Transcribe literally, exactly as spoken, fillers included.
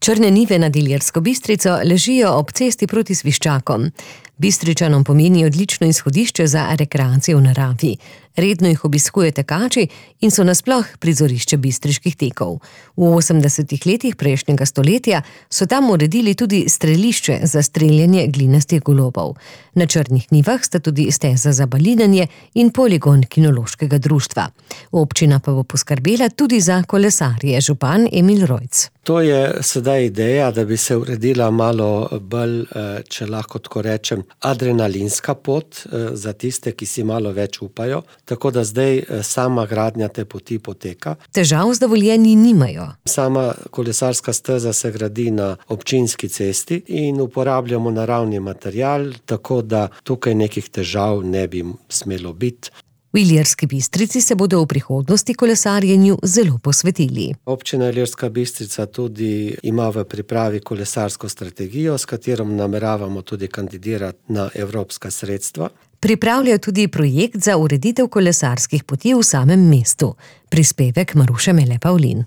Črne njive nad Ilirsko Bistrico ležijo ob cesti proti Sviščakom. Bistričanom pomeni odlično izhodišče za rekreacijo v naravi. Redno jih obiskuje tekači in so nasploh prizorišče bistriških tekov. V osemdesetih letih prejšnjega stoletja so tam uredili tudi strelišče za streljanje glinastih golobov. Na Črnih njivah sta tudi steza za balinanje in poligon kinološkega društva. Občina pa bo poskrbela tudi za kolesarje, župan Emil Rojc. To je sedaj ideja, da bi se uredila malo bolj, če lahko tako rečem, adrenalinska pot za tiste, ki si malo več upajo, tako da zdaj sama gradnja te poti poteka. Težav z dovoljenji nimajo. Sama kolesarska steza se gradi na občinski cesti in uporabljamo naravni material, tako da tukaj nekih težav ne bi smelo biti. V Ilirski Bistrici se bodo v prihodnosti kolesarjenju zelo posvetili. Občina Ilirska Bistrica tudi ima v pripravi kolesarsko strategijo, s katero nameravamo tudi kandidirati na evropska sredstva. Pripravljajo tudi projekt za ureditev kolesarskih poti v samem mestu. Prispevek Maruše Mele Pavlin.